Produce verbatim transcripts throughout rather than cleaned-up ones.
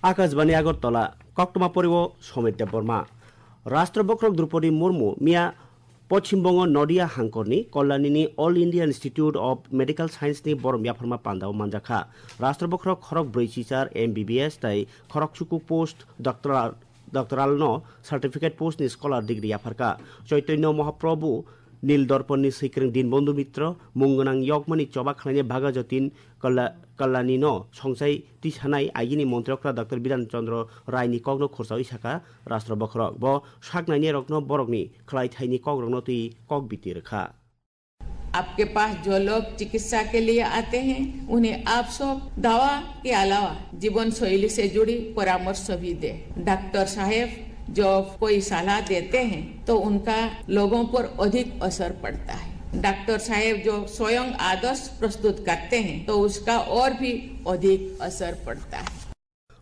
Akashbani Agartala, koktwma poriwo Somit Debbarma. Rashtra Bokhorok Droupadi Murmu miya Poschim Bongo Nodia hangkorni Kollanini All India Institute of Medical Science ni borom yapharma pandao manjakha. Rashtra Bokhorok khorok brwi chichar M B B S tai khorok chuku post doctoral, doctoral no certificate post ni scholar degree yapharka. Chaitanya Mahaprabhu Nil Dorponni Swikwrwng Dinbandhu Mitra, mung gwnang yokmani choba khlainai Bhagajotin Kalla-, Kallanino songchai tisanai agini Montri Okra Doctor Bidhan Chandra Raini kokno khursawi saka Rashtra Bokhorok. Bo saknainai rokno borokni khlai thaini kokrokno twi kok biti rwkha. आपके पास जो लोग चिकित्सा के लिए आते हैं, उन्हें आप सब दवा के अलावा जीवन शैली से जुड़ी परामर्श भी दे। डॉक्टर साहेब जो कोई सलाह देते हैं, तो उनका लोगों पर अधिक असर पड़ता है। डॉक्टर साहेब जो स्वयं आदर्श प्रस्तुत करते हैं, तो उसका और भी अधिक असर पड़ता है।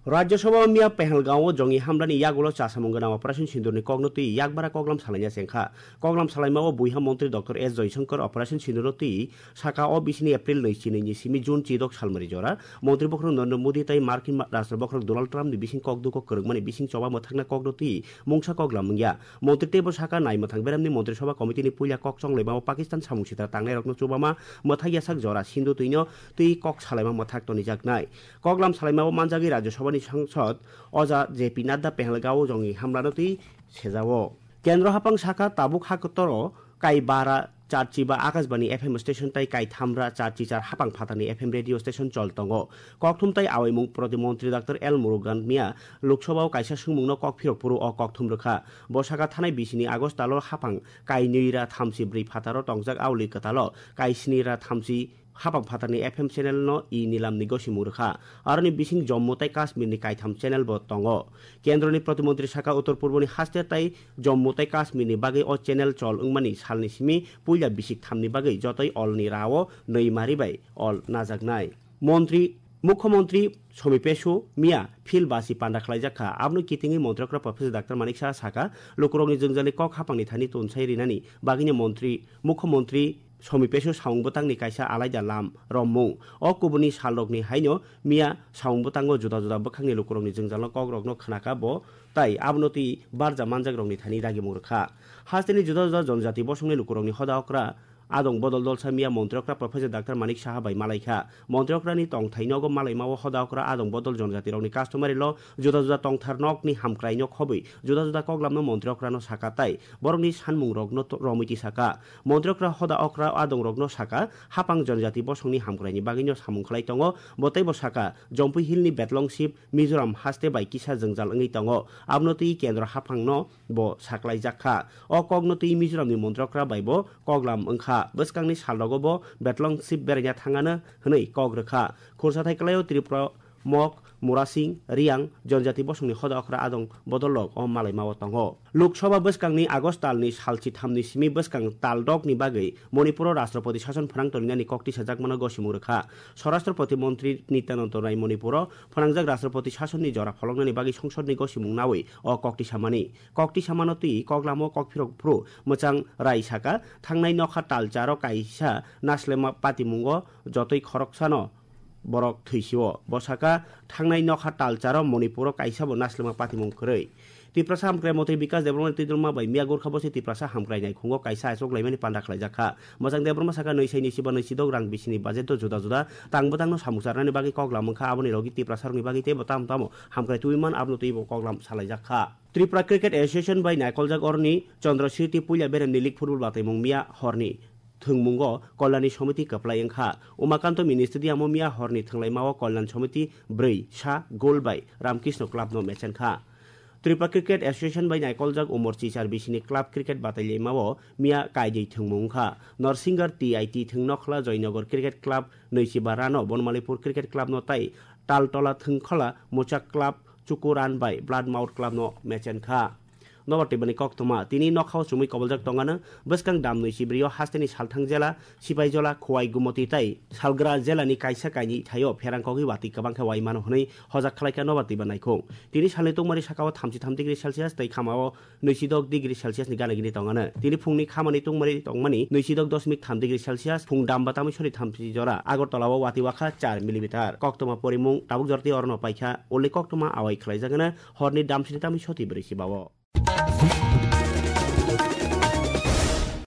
Rajya Sabha miya Pahalgam o jongni hamlani yagulo chasamung gwnang Operation Sindurni kokno twi yakbara koklam salaina chengkha. Koklam salaima o buiha montri Doctor S Jaishankar Operation Sindurno twi saka o bisini April nwi chinwi ni simi June chidok salmari jora Montri Bokhorok Narendra Modi tai Markin ma-, Rashtra Bokhorok Donald Trump ni bising kok duko kwrwngmani bising choba mwthakna kokno twi mungsa koklam wngya. Montri teibo saka nai mwthang beramni Montri Sabha Committee ni puila kok chonglaima o Pakistan samung sitra tangnairokno chubama mwthak yasak jora Sindhu twino twi kok salaima mwthak tonijaknai. Koklam salaima o manjagwi Rajya Sabha ni sangsad Oja J P Nadda Pahalgam o jongni hamlano twi sejao. Kendro hapang saka tabuk ha kotoro kai bara charchi ba Akashbani F M station tai kai thamra charchi char hapang phatarni F M radio station chol tongo. Kokthum tai awaimung protimontri Doctor L Murugan miya Lok Sabha o kaisa swngmungno kok phirok phuru o kokthum rwkha. Bo saka thanai bisini August talo hapang kai nwi ra thamchi bwrwi phataro tongjak auli kwtalo kai sni ra thamchi hapang phatarni F M channel no i nilamni gosimung rwkha. Aroni bising Jammu tai Kashmir ni kaitham channel bo tongo. Kendroni protimontri saka Uttor Purboni haste tai Jammu tai Kashmir ni bagwi o channel chol wngmani salni simi puila bisik thamni bagwi jotoi olni rao nwi mari bai ol najaknai. Montri, Mukhyamantri Somi Pesu miya phil basi panda khlaijak kha. Aboni kitingwi Montri Okra Professor Doctor Manik Saha saka, lukurokni jwngjalni kok hapangni thani tonsai rinani bagwino Montri, Mukhyamantri Somi Pesu samung bwtangni kaisa alaida lam rommung. O kubuni salrokni haino miya samung bwtango juda juda bwkhakni lukurokni jwngjalno kokrokno khnaka bo, tai abono twi barja manjakrokni thani dagimung rwkha. Hasteni juda juda jonjati bosongni lukurokni hoda okra adong bodol dolsa miya Montri Okra Professor Doctor Manik Saha bai malaikha. Montri Okrani tongthai nogo malaima o hoda okra adong bodol jonjati rokni customary law juda juda tongthar nokni hamkrai no khobwi juda juda koklamno Montri Okrano saka tai borokni sanmung rokno to-, romwi tisaka. Montri Okra hoda okra adong rokno saka hapang jonjati bosongni hamkraini bagwino samung khlai tongo. Bo teibo saka Jompui Hill ni Betlong Sip Mizoram haste bai kisa jwngjal wngwi tongo. Abono twi kendro haphangno bo saklaijak kha. O kokno twi Mizoramni Montri Okra bai bo koklam wngkha. Bwskangni salrogo bo Betlong Sip beraina thangano hwnwi kok rwkha. Khursa thai kwlaio Tripura, Mok, Murasing, Riang, Jonjati bosongni hoda okra adong bodol rok o malaima o tongo. Lok Sabha bwskangni August talni sal chithamni simi bwskang tal dokni bagwi Manipuro Rashtrapati Sason phrang toninani kok tisajakmano gosimung rwkha. Swarashtrapati Montri Nityanand Rai Manipuro phnangjak Rashtrapati Sasonni jora pholoknani bagwi Songsodni gosimung nawi o kok tisamani. Kok tisamano twi koklamo kokphirok phuru mwchang rai saka, thangnai nokha talcharo kaisa naslema patimungo jotoi khoroksano borok thwisio. Bo saka, thangnai nokha talcharo Manipuro kaisabo naslema patimung kwrwi. Tiprasa Hamkrai Montri Bikas Debbarma Twitrwma bai miya Gorkha Bosi Tiprasa Hamkrai naikhungo kaisa achuk laimani panda khlaijak kha. Mwchang Debbarma saka, nwi sai nwi chiba nwi chidok rang bisini budget o juda juda tang bwtangno samung charnani bagwi koklam wngkha, aboni logi Tiprasarokni bagwi teibo tamo tamo hamkrai twiwi man, abono twibo koklam salaijak kha. Tripura Cricket Association bai naikoljak oroni Chandra Sriti puila beremni league football bataimung miya horni thwngmungo Kalyani Samiti kwplai wngkha. Umakanto Mini Stadium o miya horni thwnglaima o Kalyan Samiti bwrwi sa goal bai Ramkrishna Club no mechen kha. Tripura Cricket Association bai naikoljak Umor Chichar bisini club cricket batailaima o miya kaidwi thwngmung wngkha. Norsingar T I T thwng nokhla Joynagar Cricket Club nwichiba rano Bonmalipur Cricket Club no tai Taltola thwngkhola Muchak Club chuku run bai Bloodmouth Club no mechen kha. Nobar Tibani koktwma tini nokhao chumui koboljak tongano bwskang dam nwi chibrio hasteni Salthang jela, Sipaijola, Khowai, Gumoti tai Salgra jelani kaisa kaini thaio pherang kogwi watwi kwbangkha wai mano hwnwi hojak khlaikha Nobar Tiba naikhung. Tini salni tungmani sakao thamchi tham degree Celsius tei khamao nwisidok degree Celsius ni gana gini tongano. Tini phungni khamani tungmani tongmani nwisidok dosmik tham degree Celsius, phung dam ba tamwi sori thamchi jora Agartala o watwi wakha char millimeter. Koktwma porimung tabuk jorti orono paikha, ulni koktwma awai khlaijagana horni damsini tamwi soti brwi si bao.